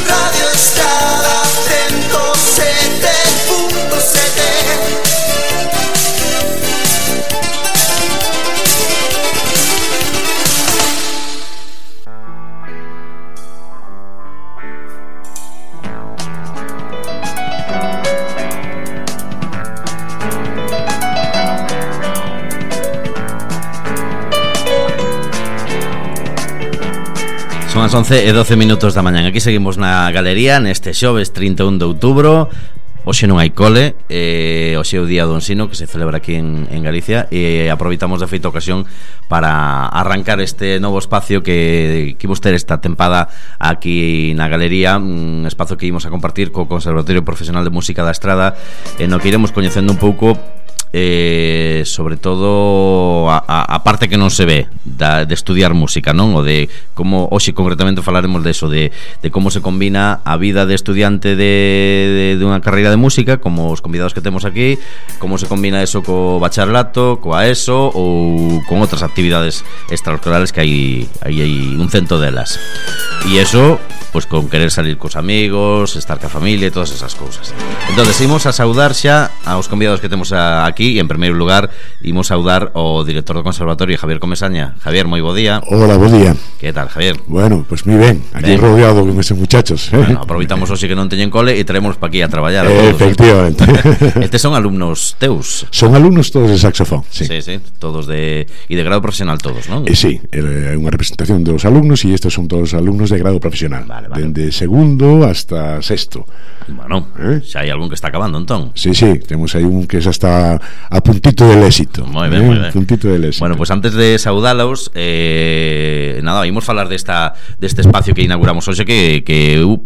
Radio Estrada 107.7. Son as 11:12 da mañá. Aquí seguimos na galería neste xoves 31 de outubro. Hoxe non hai cole, hoxe é o día do ensino que se celebra aquí en Galicia, e aproveitamos de feita ocasión para arrancar este novo espacio que imos ter esta tempada aquí na galería, un espazo que imos a compartir co Conservatorio Profesional de Música da Estrada, no que iremos coñecendo un pouco sobre todo a parte que non se ve de estudiar música, non? O de como hoxe concretamente falaremos de eso, de como se combina a vida de estudiante de unha carreira de música, como os convidados que temos aquí, como se combina eso co bacharelato, coa ESO ou con outras actividades extraescolares que hai un cento delas. E eso, pois con querer salir cos amigos, estar ca familia e todas esas cousas. Entonces, imos a saudar xa aos convidados que temos aquí. E en primeiro lugar imos saudar o director do Conservatorio, Javier Comesaña. Javier, moi bo día. Hola, bo día. Que tal, Javier? Bueno, pues moi ben, aquí rodeado con esos muchachos. Bueno, aproveitamos hoxe que non teñen cole e traemos pa aquí a traballar. Efectivamente. Estes son alumnos teus? Son alumnos todos de saxofón, sí. Sí, todos de grado profesional todos, non? Sí, é unha representación dos alumnos e estes son todos alumnos de grado profesional. Vale. Dende segundo hasta sexto. Bueno, xa hai algún que está acabando, entón. Sí, temos aí un que xa está a puntito del éxito. Moi ben. Puntito del éxito. Bueno, pues antes de saudalos, nada, imos falar deste espacio que inauguramos hoxe que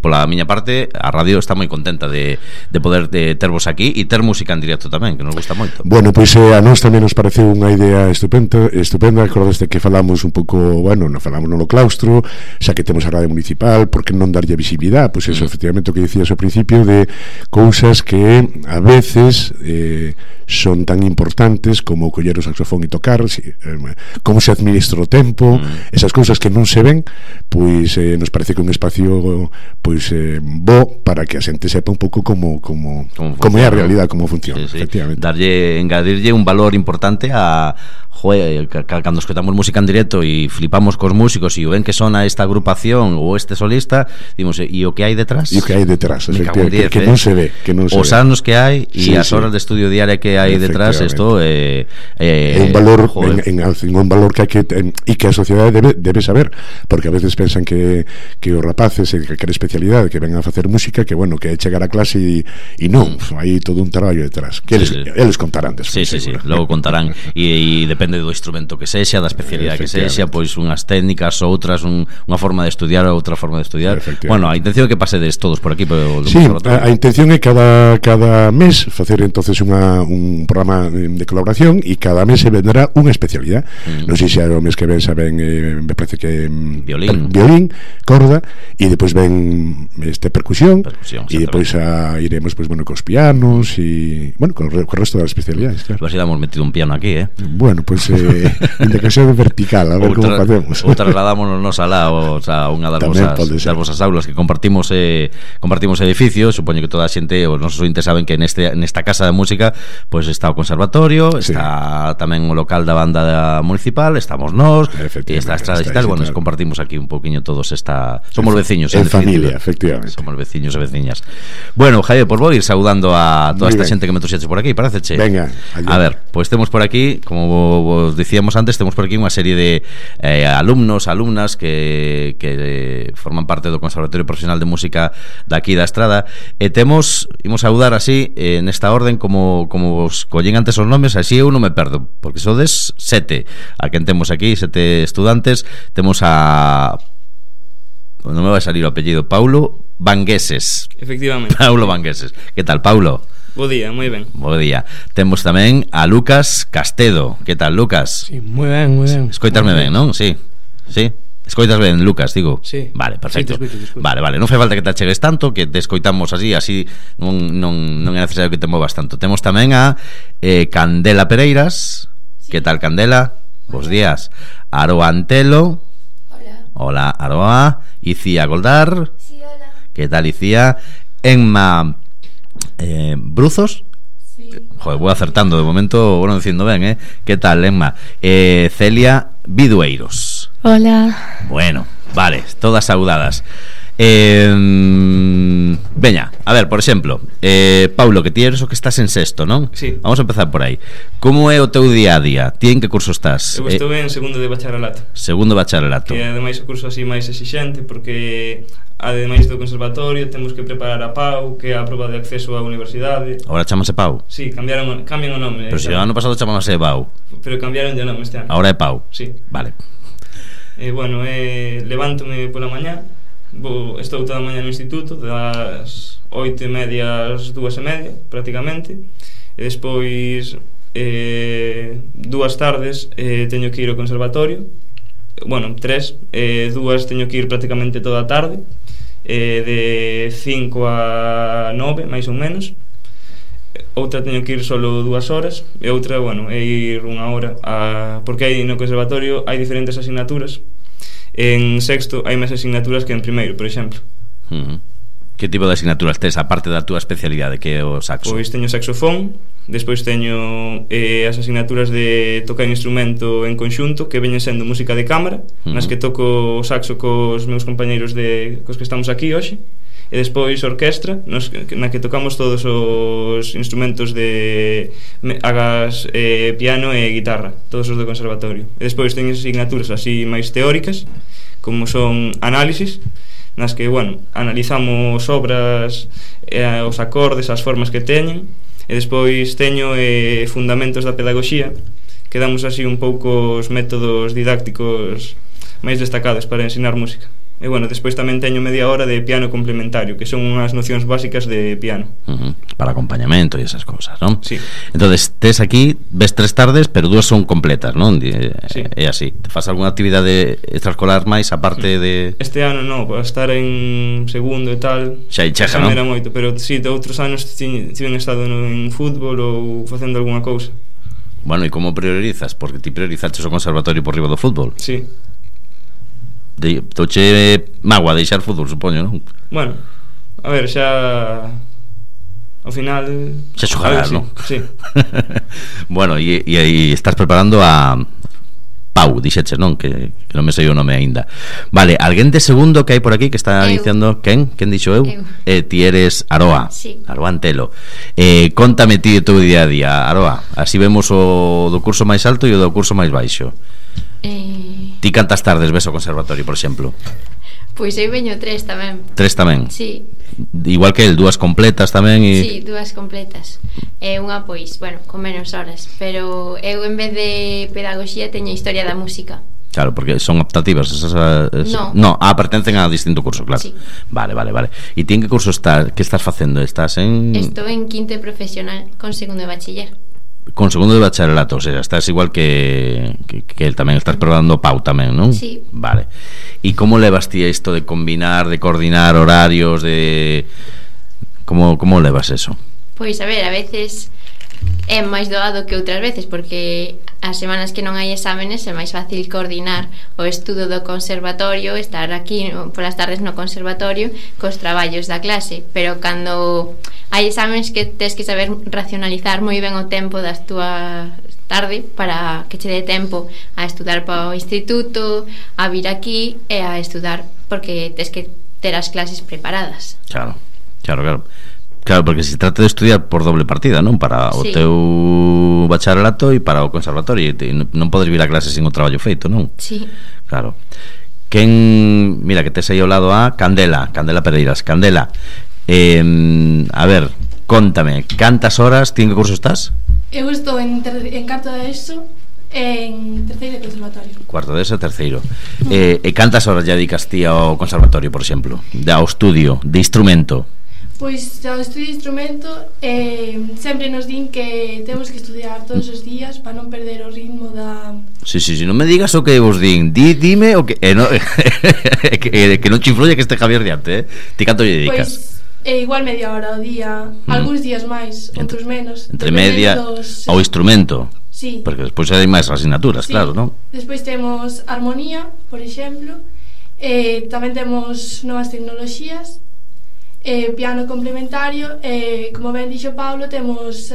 pola miña parte, a radio está moi contenta de poder tervos aquí e ter música en directo tamén, que nos gusta moito. Bueno, pois a nós tamén nos pareceu unha idea estupenda. Acordaste que falamos un pouco, bueno, non falamos no claustro, xa que temos a radio municipal, por que non darlle visibilidade? Pois eso, efectivamente, o que dicías ao principio, de cousas que a veces son tan importantes como coller o saxofón e tocar, como se administra o tempo, esas cousas que non se ven, pois nos parece que un espacio pois bo para que a xente sepa un pouco como é a realidade, como funciona, efectivamente. Engadirlle un valor importante a cando escoitamos música en directo e flipamos cos músicos e o ven que sona esta agrupación ou este solista, dimos, e o que hai detrás? E o que hai detrás, efectivamente, que non se ve, os anos que hai e as horas de estudio diaria que hai detrás, isto é un valor un valor que hai que e que a sociedade debe saber, porque a veces pensan que os rapaces que queren especialidade, que vengan a facer música, que bueno, que é chegar a clase e non, hai todo un traballo detrás que eles contarán despois. Sí, logo contarán e depende do instrumento que sexa, da especialidade que sexa, pois unhas técnicas, outras unha forma de estudiar, outra forma de estudiar. Bueno, a intención é que pasedes todos por aquí polo conservatorio. A intención é cada mes facer entonces un programa de colaboración e cada mes se vendrá unha especialidade. Non sei se o mes que ven saben, me parece que violín, corda, e depois ven percusión e depois iremos pois bueno cos pianos e bueno, con o resto das especialidades, claro. Pues damos metido un piano aquí, Bueno, pois indicación vertical, a ver como facemos. Ou trasladámonos nos alá a unha das vosas aulas que compartimos edificios. Supoño que toda a xente, os nosos ointes saben que nesta casa de música pois está o conservatorio, está tamén o local da banda municipal, estamos nós, e está a estrada digital. Bueno, nos compartimos aquí un poquinho todos somos veciños en familia, efectivamente. Somos veciños e veciñas. Bueno, Javier, pois vou ir saudando a toda esta xente que me trouxeches por aquí, pareceche? Venga, a ver, pois temos por aquí, como vos dicíamos antes, temos por aquí unha serie de alumnos, alumnas que forman parte do Conservatorio Profesional de Música daqui da Estrada, e imos saudar así nesta orden como vos collín antes os nomes, así eu non me perdo, porque sodes 7 a quen temos aquí, 7 estudantes. Temos non me vai salir o apellido, Paulo Vangueses. Efectivamente. Paulo Vangueses. Que tal, Paulo? Bo día, moi ben. Bo día. Temos tamén a Lucas Castedo. Que tal, Lucas? Sí, moi ben. Escoitasme ben, non? Sí. Escoitas ben, Lucas, digo? Sí. Vale, perfecto. Sí, te escoito. Vale, non fai falta que te achegues tanto, que te escoitamos así non é necesario que te movas tanto. Temos tamén a Candela Pereiras. Que tal, Candela? Bos días. Aroa Antelo. Hola, Aroa. Icía Goldar. Sí, hola. ¿Qué tal, Icía? Enma Bruzos. Sí. Joder, voy acertando de momento, bueno, diciendo ben, ¿Qué tal, Enma? Celia Bidueiros. Hola. Bueno, vale, todas saudadas. Veña, a ver, por exemplo, Paulo, que ti eres o que estás en sexto, non? Sí. Vamos a empezar por aí. Como é o teu día a día? Ti en que curso estás? Eu estou en segundo de bacharelato. Segundo bacharelato. Que ademais o curso así máis exixente, porque ademais do conservatorio temos que preparar a PAU, que é a proba de acceso á universidade. Ahora chamase Pau. Sí, cambian o nome. Pero se o ano pasado chamase Pau. Pero cambiaron de nome este ano. Ahora é Pau. Sí. Vale. Bueno, levántome pola mañá. Estou toda a mañá no instituto, das 8:30 ás 2:30 prácticamente, e despois 2 tardes teño que ir ao conservatorio. Bueno, 3, 2 teño que ir prácticamente toda a tarde, de 5 a 9 máis ou menos. Outra teño que ir solo 2 horas, e outra, bueno, é ir 1 hora porque aí no conservatorio hai diferentes asignaturas. En sexto hai máis asignaturas que en primeiro, por exemplo. Que tipo de asignaturas tes, aparte da túa especialidade, que é o saxo? Pois teño saxofón, despois teño as asignaturas de tocar instrumento en conxunto, que veñen sendo música de cámara, nas que toco o saxo cos meus compañeiros cos que estamos aquí hoxe, e despois orquestra, na que tocamos todos os instrumentos de agas, piano e guitarra, todos os do conservatorio. E despois teño asignaturas así máis teóricas, como son análisis, nas que, bueno, analizamos obras, os acordes, as formas que teñen, e despois teño fundamentos da pedagogía, que damos así un pouco os métodos didácticos máis destacados para ensinar música. E bueno, despois tamén teño media hora de piano complementario, que son unhas nocións básicas de piano. Para acompañamento e esas cousas, non? Sí. Entonces, tes aquí, ves 3 tardes, pero 2 son completas, non? Sí. É así. Te faz algunha actividade extraescolar máis aparte de... Este ano non, para estar en segundo e tal Xa chega, non? Era moito, pero si, de outros anos tiven estado en fútbol ou facendo algunha cousa. Bueno, e como priorizas? Porque ti priorizaches o conservatorio por riba do fútbol. Sí. Touche magua deixar fútbol, supoño, non? Bueno, a ver, xa ao final xa xogarás, non? Sí. Bueno, e aí estás preparando a Pau, dixeches, non? Que non me sei o nome aínda. Vale, alguén de segundo que hai por aquí que está diciendo... Quen? Quen dixo eu? Ti eres Aroa. Sí. Aroa Antelo. Contame ti o teu día a día, Aroa. Así vemos o do curso máis alto e o do curso máis baixo. Ti cantas tardes ves o conservatorio, por exemplo? Pois eu veño 3 tamén. 3 tamén? Sí. Igual que el, 2 completas tamén e... Sí, 2 completas. Unha pois, bueno, con menos horas. Pero eu en vez de pedagogía teño historia da música. Claro, porque son optativas esas, No, pertencen a distinto curso, claro. Sí. Vale. E ti en que curso estás? Que estás facendo? Estás en... Estou en quinto profesional con segundo de bachiller. Con segundo de bacharelato, o sea, estás igual que el tamén, estás probando Pau tamén, non? Sí. Vale. E como levas ti isto de combinar, de coordinar horarios, de... Como levas eso? Pois a ver, a veces é máis doado que outras veces, porque as semanas que non hai exámenes é máis fácil coordinar o estudo do conservatorio, estar aquí polas tardes no conservatorio cos traballos da clase, pero cando hai exámenes que tes que saber racionalizar moi ben o tempo das túas tarde para que che dé tempo a estudar para o instituto, a vir aquí e a estudar, porque tes que ter as clases preparadas. Claro. Claro, porque se trata de estudiar por doble partida, non? Para o teu bacharelato e para o conservatorio, non podes vir a clase sin o traballo feito, non? Sí. Claro. Mira, que tes aí ao lado a Candela Pereiras. Candela, a ver, contame, cantas horas, ti en que curso estás? Eu estou en cuarto de ESO, en terceiro de conservatorio. Cuarto de ESO, terceiro. E cantas horas ya dedicas ti ao conservatorio, por exemplo? Ao estudio, de instrumento? Pois ao estudio de instrumento sempre nos din que temos que estudiar todos os días para non perder o ritmo da... Sí, non me digas o que vos din, dime o que que non che influye que este Javier diante, Ti canto lle dedicas? Pois igual media hora ao día, algúns días máis, outros menos. Entre media ao instrumento. Sí. Porque despois hai máis asignaturas, claro, non? Despois temos armonía, por exemplo, Tamén temos novas tecnoloxías, piano complementario, como ben dixo Paulo, temos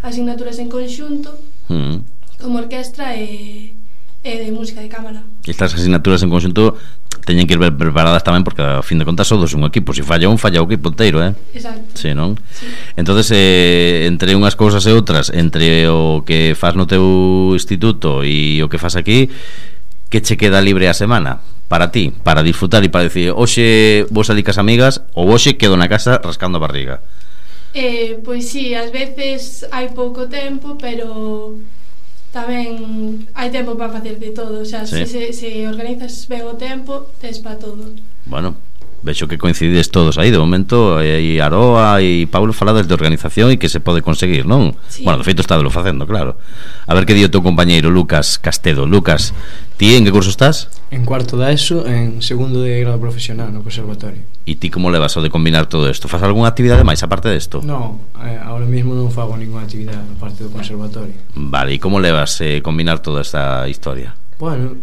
asignaturas en conxunto como orquestra e de música de cámara. Estas asignaturas en conxunto teñen que ir preparadas tamén, porque a fin de contas todos un equipo, se falla un, falla o equipo inteiro, Exacto. Sí, non? Sí. Entonces, entre unhas cousas e outras, entre o que faz no teu instituto e o que faz aquí, que che queda libre a semana para ti, para disfrutar e para decir, hoxe vou salir cas amigas ou hoxe quedo na casa rascando a barriga? Pois sí, ás veces hai pouco tempo, pero tamén hai tempo para facer de todo. O sea, sí. se organizas ben o tempo, tes para todo. Bueno, vexo que coincidides todos aí. De momento, aí Aroa e Paulo falades de organización e que se pode conseguir, non? Sí. Bueno, de feito está de lo facendo, claro. A ver que di o teu compañeiro Lucas Castedo. Lucas, ti en que curso estás? En cuarto da ESO, en segundo de grado profesional no conservatorio. E ti como levas o de combinar todo isto? Faz algunha actividade máis aparte desto? Non, ahora mesmo non fago ninguna actividade aparte do conservatorio. Vale, e como levas combinar toda esta historia? Bueno,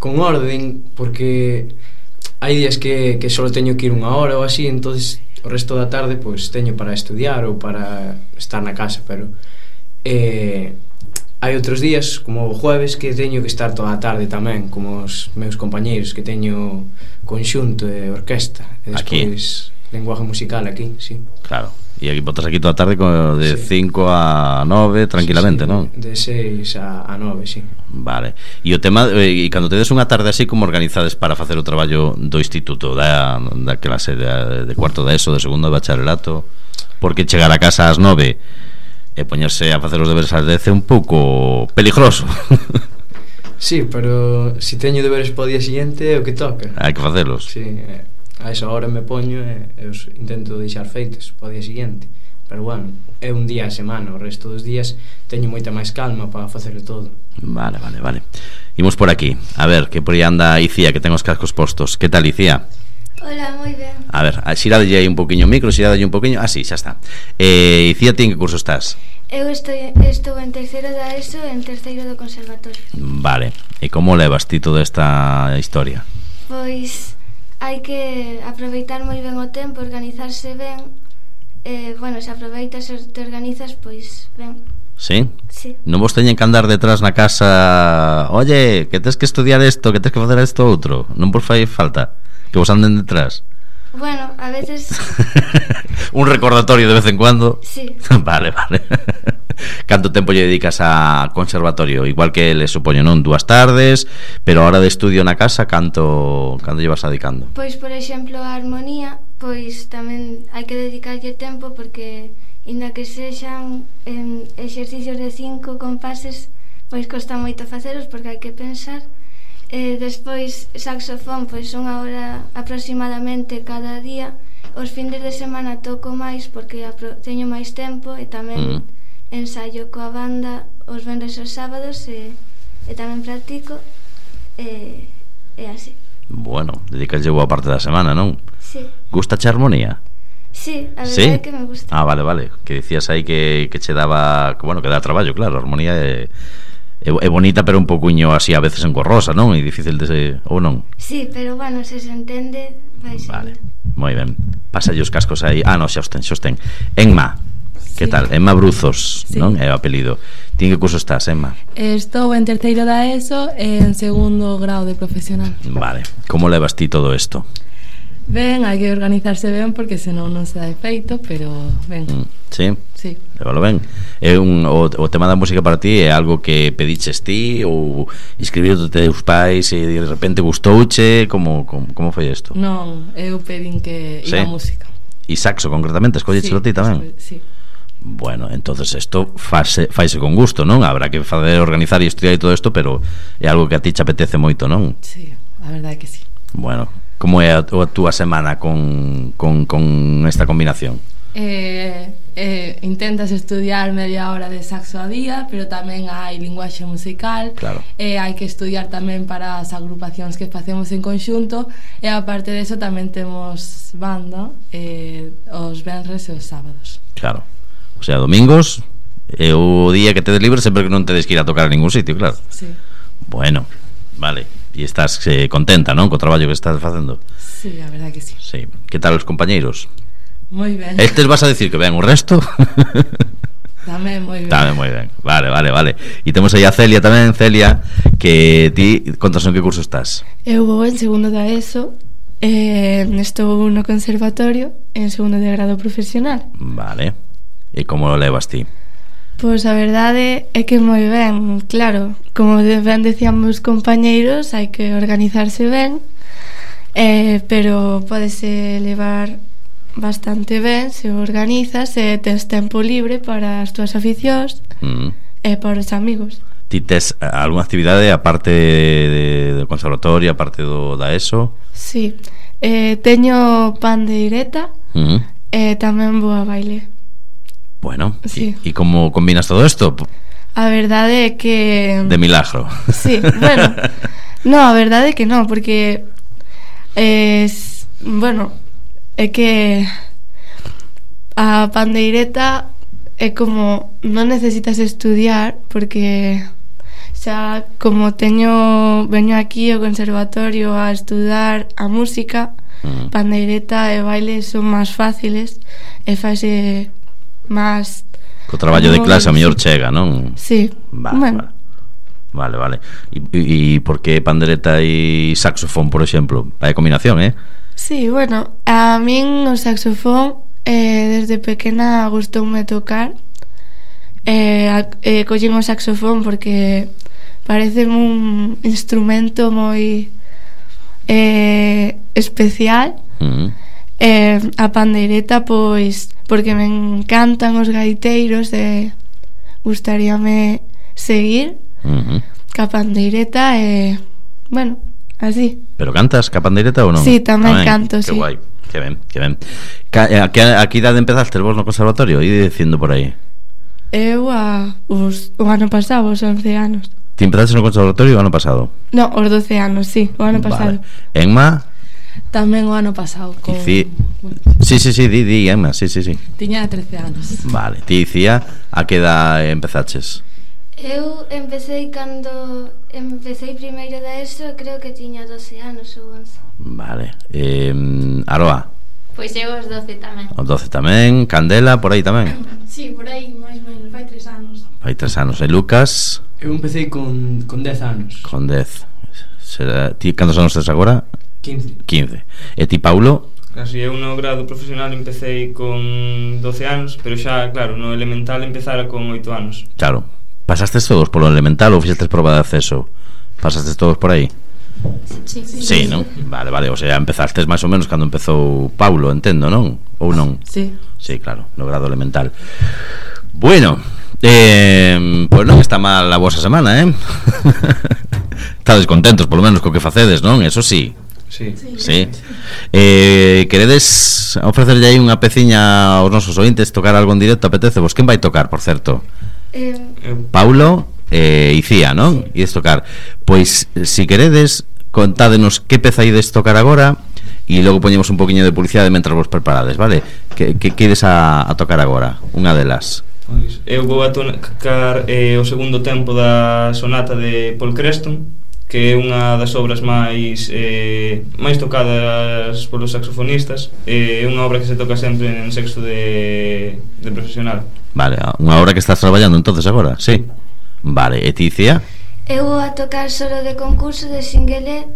con orden, porque hai días que só teño que ir unha hora ou así, entonces o resto da tarde pois teño para estudiar ou para estar na casa, pero hai outros días, como o jueves, que teño que estar toda a tarde tamén, como os meus compañeiros, que teño conxunto e orquesta, e despois lenguaje musical aquí, sí. Claro, e aquí botas aquí toda a tarde de 5 a 9 tranquilamente, sí, non? De 6 a 9, sí. Vale, e o tema, e cando tedes unha tarde así, como organizades para facer o traballo do instituto, da clase de cuarto da ESO, de segundo de bacharelato? Porque chegar a casa ás 9 e poñerse a facer os deberes ás 10 é un pouco peligroso. Sí, pero si teño deberes para o día siguiente é o que toca. Hai que facelos. Sí, a esa hora me poño e os intento deixar feitos para o día siguiente. Pero bueno, é un día a semana, o resto dos días teño moita máis calma para facer todo. Vale. Imos por aquí, a ver, que por aí anda Icía, que ten os cascos postos. Que tal, Icía? Hola, moi ben. A ver, xiradalle aí un poquinho o micro, xiradalle un poquinho. Ah, sí, xa está. Icía, ti en que curso estás? Eu estou en terceiro da ESO e en terceiro do conservatorio. Vale, e como levas ti toda esta historia? Pois hai que aproveitar moi ben o tempo, organizarse ben. Bueno, se aproveitas e te organizas, pois ben. Sí? Sí. Non vos teñen que andar detrás na casa, oye, que tens que estudiar isto, que tens que facer isto outro? Non vos fai falta que vos anden detrás? Bueno, a veces un recordatorio de vez en cuando. Sí. Vale. Canto tempo lle dedicas a conservatorio? Igual que le supoño, non? 2 tardes, pero a hora de estudio na casa, canto llevas dedicando? Pois, por exemplo, a armonía, pois tamén hai que dedicarlle tempo, porque inda que sexan exercicios de 5 compases, pois costa moito facelos porque hai que pensar. Despois saxofón, pois unha hora aproximadamente cada día. Os findes de semana toco máis porque teño máis tempo, e tamén ensaio coa banda os venres e os sábados, e tamén practico, e así. Bueno, dedicas boa parte da semana, non? Sí. Gusta che armonía? Sí, a verdade ¿Sí? é que me gusta. Ah, vale, que decías aí que che daba, bueno, que dá traballo, claro, a armonía é bonita, pero un pouquiño así a veces engorrosa, non? É difícil de ou non? Sí, pero bueno, se entende, vai ser. Vale, moi ben. Pásalle os cascos aí. Ah, non, xa os ten. Enma, que tal? Enma Bruzos, sí. Non? É o apelido. Ti en que curso estás, Enma? Estou en terceiro da ESO e en segundo grado de profesional. Vale. Como levas ti todo isto? Ben, hai que organizarse ben porque senón non se dá efeito, pero ben. Sí? Sí. Lévalo ben. É o tema da música para ti é algo que pediches ti ou escribiu teus pais e de repente gustouche? Como foi isto? Non, eu pedín que iba a música. E saxo concretamente, escolléchelo ti tamén? Sí. Bueno, entonces isto faise con gusto, non? Habrá que fazer, organizar e estudiar e todo isto, pero é algo que a ti te apetece moito, non? Sí, a verdade é que sí. Bueno, como é a túa semana con esta combinación? Intentas estudiar media hora de saxo a día, pero tamén hai linguaxe musical, claro. Hai que estudiar tamén para as agrupacións que facemos en conxunto, e aparte deso tamén temos banda os venres e os sábados. Claro, o sea, domingos é o día que tedes libre, sempre que non tedes que ir a tocar a ningún sitio, claro. Sí. Bueno, vale. E estás contenta, non? Co traballo que estás facendo. Sí, a verdad que sí. Sí. Que tal os compañeiros? Moi ben. Estes vas a decir que ven o resto? Tamén moi ben. Tamén moi ben. Vale. E temos aí a Celia tamén, Celia, que ti, contas en que curso estás? Eu vou en segundo da ESO, estou no conservatorio en segundo de grado profesional. Vale. E como lo levas ti? Pois a verdade é que moi ben, claro, como ben decían meus compañeiros, hai que organizarse ben, pero podese levar bastante ben se organizas e tens tempo libre para as túas aficións e para os amigos. Ti tes algunha actividade aparte do conservatorio, aparte da ESO? Sí, teño pandeireta e tamén vou a baile. Bueno, sí. E como combinas todo isto? A verdade é que... De milagro. Sí, bueno, no, a verdade é que non, porque bueno, é que a pandeireta é como non necesitas estudiar, porque xa como veño aquí ao conservatorio a estudar a música, pandeireta e baile son máis fáciles e faise máis co traballo de clase a mellor chega, non? Sí, vale. E por que pandereta e saxofón, por exemplo? Vai combinación, Sí, bueno, a min o saxofón desde pequena gustoume tocar, collín o saxofón porque parece un instrumento moi especial. A pandeireta pois porque me encantan os gaiteiros e gustaríame seguir ca pandeireta e bueno, así. Pero cantas ca pandeireta ou non? Sí, tamén canto, que sí. Guai, que ben. A que idade empezaste vos no conservatorio? E dicindo por aí. Eu o ano pasado, os 11 anos. Ti empezaste no conservatorio o ano pasado? No, os 12 anos, sí, o ano pasado. Enma? Tamén o ano pasado con... Sí, di, Emma, sí. Tiña 13 anos. Vale, ti dicía a que edad empezaches? Eu empecé primeiro da ESO, creo que tiña 12 anos ou 11. Vale. Aroa? Pois eu os 12 tamén. Os 12 tamén, Candela, por aí tamén? Sí, por aí, máis ou menos, fai 3 anos. Fai 3 anos. E Lucas? Eu empecé con 10 anos. Con 10. Ti cantos anos tes agora? 15. E ti, Paulo? Así, eu no grado profesional empecé con 12 anos, pero xa, claro, no elemental empezara con 8 anos. Claro. Pasastes todos polo elemental ou fixestes proba de acceso? Pasastes todos por aí? Sí, non? Vale, o sea, empezastes máis ou menos cando empezou Paulo, entendo, non? Ou non? Sí, claro, no grado elemental. Bueno, pois non está mal a vosa semana, Estades contentos, polo menos, co que facedes, non? Eso sí. Sí. Queredes ofrecerlle aí unha peciña aos nosos ointes, tocar algo en directo? Apetece vos? Quen vai tocar, por certo? Paulo e Icía, non? Sí. Ides tocar. Pois, si queredes, contádenos que peza ides tocar agora e logo poñemos un poquinho de publicidade mentras vos preparades, vale? Que ides a tocar agora? Unha delas. Pois, eu vou a tocar o segundo tempo da sonata de Paul Creston, que é unha das obras máis tocadas polos saxofonistas. É unha obra que se toca sempre en sexto de profesional. Vale, unha obra que estás traballando entonces agora, sí. Vale, e ti, Icía? Eu vou a tocar solo de concurso de Singuelé.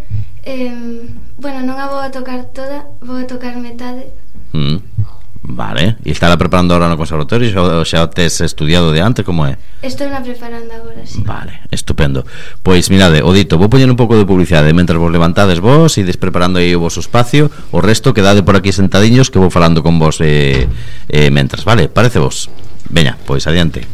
Bueno, non a vou a tocar toda, vou a tocar metade. Vale, e estará preparando ahora no conservatorio ou xa tes estudiado de antes, como é? Estou na preparando agora, sí. Vale, estupendo. Pois mirade, o dito, vou poñer un pouco de publicidade mentras vos levantades vos e ides preparando aí o vosso espacio. O resto quedade por aquí sentadiños que vou falando con vos mentras, vale? Parece vos? Veña, pois adiante.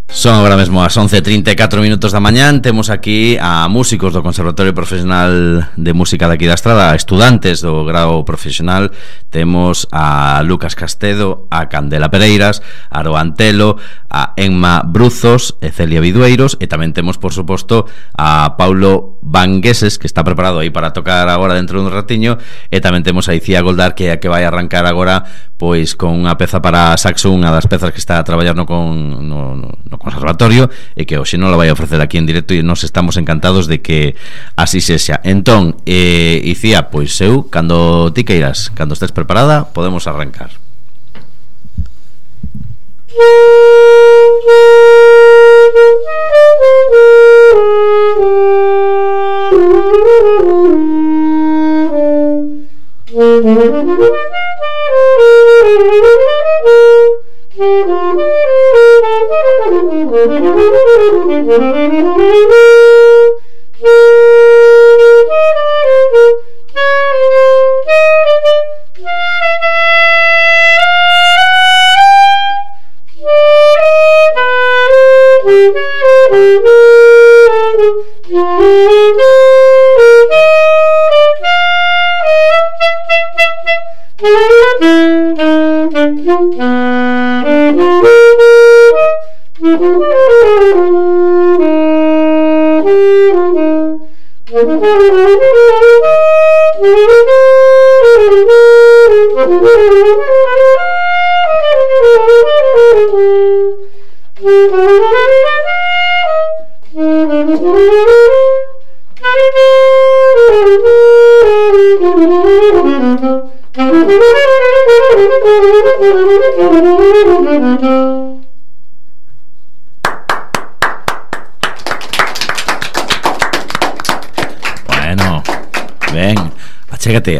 Son agora mesmo as 11:34 da mañán. Temos aquí a músicos do Conservatorio Profesional de Música de aquí da Estrada, a estudantes do grado profesional. Temos a Lucas Castedo, a Candela Pereiras, a Aroa Antelo, a Enma Bruzos e Celia Vidueiros. E tamén temos, por suposto, a Paulo Vangueses, que está preparado aí para tocar agora dentro dun ratiño. E tamén temos a Icía Goldar, que é a que vai arrancar agora pois con unha peza para saxo, unha das pezas que está a traballar no no conservatorio e que hoxe non la vai a ofrecer aquí en directo e nos estamos encantados de que así sexa. Entón, Icía, pois eu, cando ti queiras, cando estés preparada, podemos arrancar.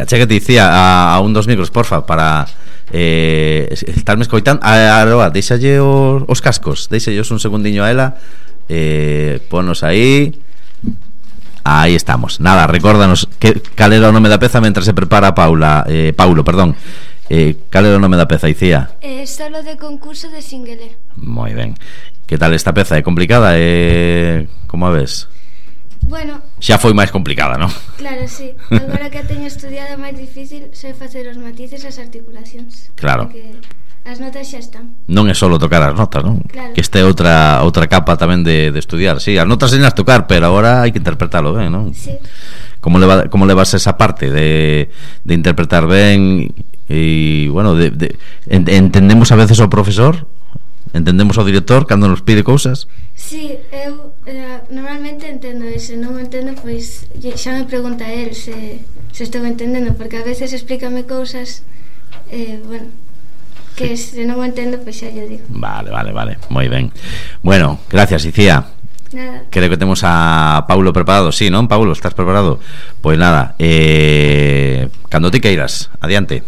Achégate, Icía, a un dos micros, porfa, para estarme escoitando. Aroa, deixalle os cascos, deixallos un segundiño a ela, ponos aí. Aí estamos. Nada, recórdanos cal era o nome da peza mentre se prepara Paulo, perdón. Cal era o nome da peza, Icía? Solo de concurso de Singuelé. Moi ben. Que tal esta peza? É complicada? Como a ves? Bueno, xa foi máis complicada, non? Claro, sí. Agora que a teño estudiado máis difícil, sei facer os matices e as articulacións. Claro. Porque as notas xa están. Non é só tocar as notas, non? Claro. Que este é outra capa tamén de estudiar. Sí, as notas señas tocar, pero agora hai que interpretalo ben, non? Sí. Como levas esa parte de interpretar ben e, bueno, entendemos a veces ao profesor? Entendemos ao director cando nos pide cousas? Sí, eu normalmente entendo ese, non entendo, pois xa me pregunta él se estou entendendo, porque a veces explícame cousas bueno, que se non o entendo, pois xa lle digo. Vale, moi ben. Bueno, gracias, Icía. Nada. Creo que temos a Paulo preparado. Sí, non, Paulo, estás preparado? Pois nada, cando ti queiras, adiante.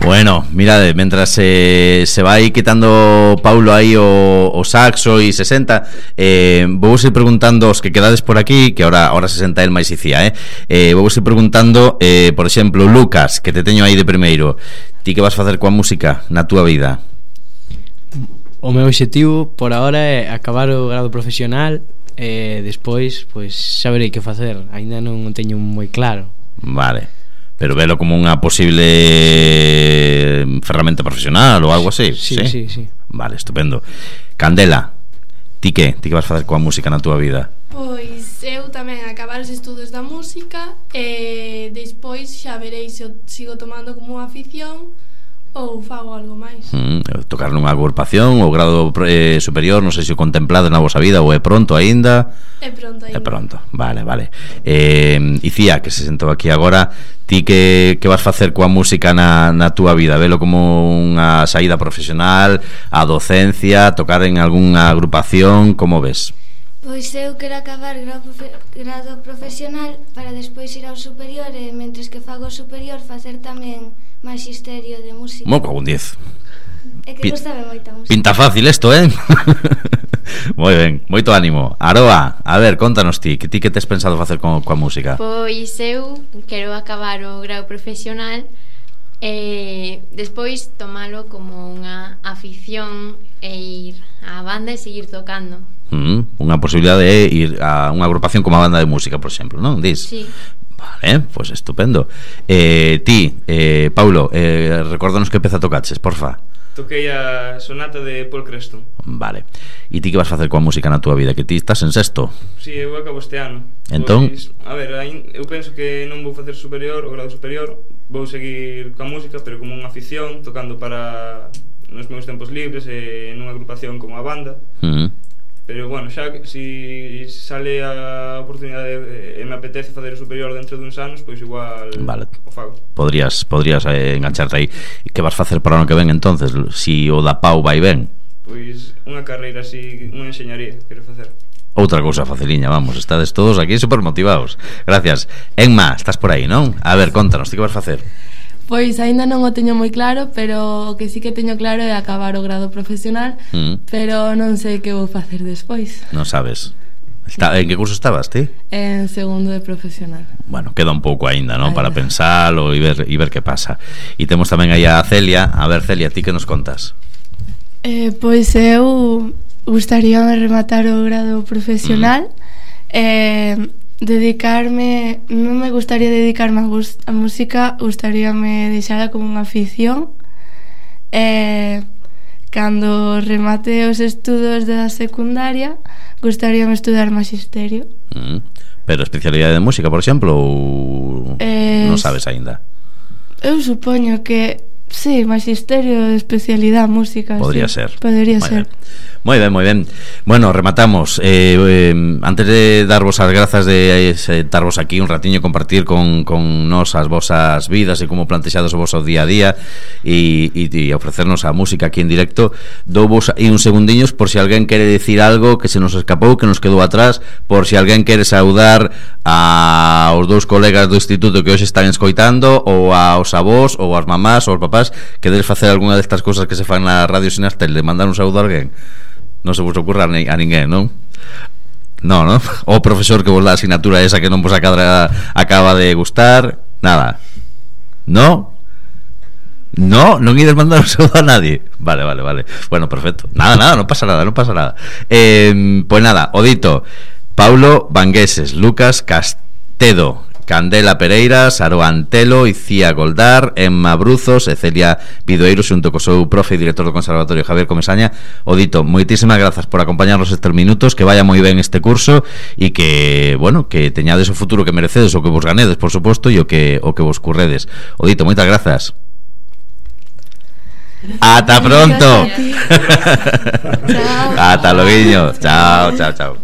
Bueno, mirade, mentras se vai quitando Paulo aí o saxo e se senta, vou ir preguntando os que quedades por aquí, que ahora se senta el máis icía, vou ir preguntando, por exemplo, Lucas, que te teño aí de primeiro, ti que vas facer coa música na túa vida? O meu obxectivo por ahora é acabar o grado profesional e despois, pois, xa verei que facer. Ainda non o teño moi claro. Vale. Pero velo como unha posible ferramenta profesional ou algo así. Sí. Vale, estupendo. Candela, ti que vas facer coa música na túa vida? Pois eu tamén acabar os estudos da música e despois xa verei se o sigo tomando como unha afición ou fago algo máis. Tocar nunha agrupación ou grado superior, non sei se o contemplades na vosa vida ou é pronto aínda. É pronto. Vale. Icía, que se sentou aquí agora, ti que vas facer coa música na túa vida? Velo como unha saída profesional, a docencia, tocar en algunha agrupación, como ves? Pois eu quero acabar grado profesional para despois ir ao superior e mentres que fago o superior facer tamén magisterio de música. Mo con 10. É que gustame moita música. Pinta fácil isto, Moi ben, moito ánimo. Aroa, a ver, contanos ti que tes pensado facer coa música? Pois eu quero acabar o grau profesional e despois tomalo como unha afición e ir á banda e seguir tocando. Unha posibilidade é ir a unha agrupación como a banda de música, por exemplo, non? Dis? Sí. Vale, pois estupendo. Ti, Paulo, recórdanos que peza tocaches, porfa. Toquei a sonata de Paul Creston. Vale. E ti que vas facer coa música na túa vida? Que ti estás en sexto? Si, eu acabo este ano. Entón? Pois, a ver, eu penso que non vou facer superior, o grado superior. Vou seguir coa música, pero como unha afición, tocando para nos meus tempos libres e nunha agrupación como a banda. Pero bueno, xa si sale a oportunidade e me apetece facer o superior dentro de uns anos, pois igual vale. O fago. Podrías engancharte aí. Que vas facer para o ano que ven entonces? Si o da Pau vai ben? Pois unha carreira así, unha enxeñaría quero facer. Outra cousa faciliña, vamos, estades todos aquí super motivados. Gracias. Enma, estás por aí, non? A ver, contanos, ti que vas facer? Pois aínda non o teño moi claro, pero o que sí que teño claro é acabar o grado profesional, pero non sei que vou facer despois. Non sabes. En que curso estabas, ti? En segundo de profesional. Bueno, queda un pouco aínda, non? Para pensalo e ver que pasa. E temos tamén aí a Celia. A ver, Celia, ti que nos contas? Pois eu gustaríame rematar o grado profesional dedicarme, non me gustaría dedicarme a música, gustaríame deixala como unha afición cando remate os estudos da secundaria gustaríame estudar magisterio. Pero especialidade de música, por exemplo, ou non sabes aínda? Eu supoño que sí, magisterio de especialidade música. Podría sí, ser. Podría ser. Moi ben. Bueno, rematamos. Antes de darvos as grazas de darvos aquí un ratiño compartir con nos as vosas vidas e como plantexados o voso día a día e ofrecernos a música aquí en directo, douvos aí uns segundiños por si alguén quere decir algo que se nos escapou, que nos quedou atrás, por si alguén quere saudar aos dous colegas do instituto que hoxe están escoitando, ou aos avós, ou aos mamás, ou aos papás. Queredes facer algunha destas cousas que se fan na radio Sinastel, de mandar un saúdo a alguén? Non se vos ocurra a ninguén, non? Non? O profesor que vos dá a asignatura esa que non vos acaba de gustar. Nada. Non? Non ides mandar un saúdo a nadie. Vale. Bueno, perfecto. Nada, non pasa nada. Pois nada, o dito: Paulo Vangueses, Lucas Castedo, Candela Pereira, Aroa Antelo, Icía Goldar, Emma Bruzos e Celia Vidoeiro, xunto co seu profe e director do Conservatorio Javier Comesaña. O dito, moitísimas grazas por acompañarnos estes minutos, que vaya moi ben este curso e que, bueno, que teñades o futuro que merecedes, o que vos ganedes, por suposto, e o que vos curredes. O dito, moitas grazas. Ata pronto. Ata loguiño. Chao.